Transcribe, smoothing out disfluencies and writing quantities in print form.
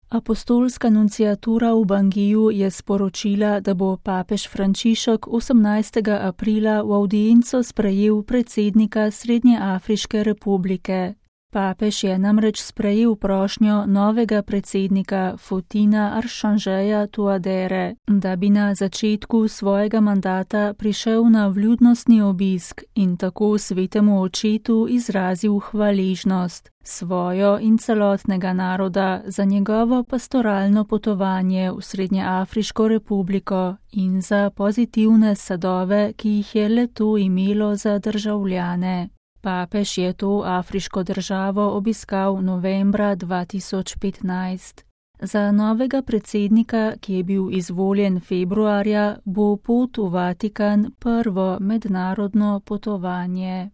Apostolska nunciatura v Bangiju je sporočila, da bo papež Frančišek 18. aprila v avdienco sprejel predsednika Srednjeafriške republike. Papež je namreč sprejel prošnjo novega predsednika Fotina Archangeja Touadere, da bi na začetku svojega mandata prišel na vljudnostni obisk in tako svetemu očetu izrazil hvaležnost svojo in celotnega naroda za njegovo pastoralno potovanje v Srednjeafriško republiko in za pozitivne sadove, ki jih je le-to imelo za državljane. Papež je to afriško državo obiskal novembra 2015. Za novega predsednika, ki je bil izvoljen februarja, bo pot v Vatikan prvo mednarodno potovanje.